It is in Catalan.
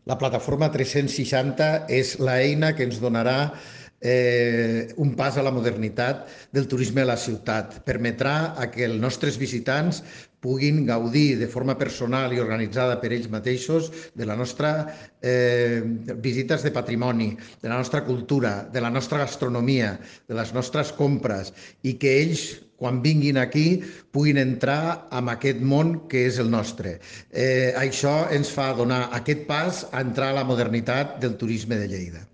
La plataforma 360 és l'eina que ens donarà un pas a la modernitat del turisme a la ciutat. Permetrà a que els nostres visitants puguin gaudir de forma personal i organitzada per ells mateixos de la nostra visites de patrimoni, de la nostra cultura, de la nostra gastronomia, de les nostres compres i que ells quan vinguin aquí puguin entrar en aquest món que és el nostre. Això ens fa donar aquest pas a entrar a la modernitat del turisme de Lleida.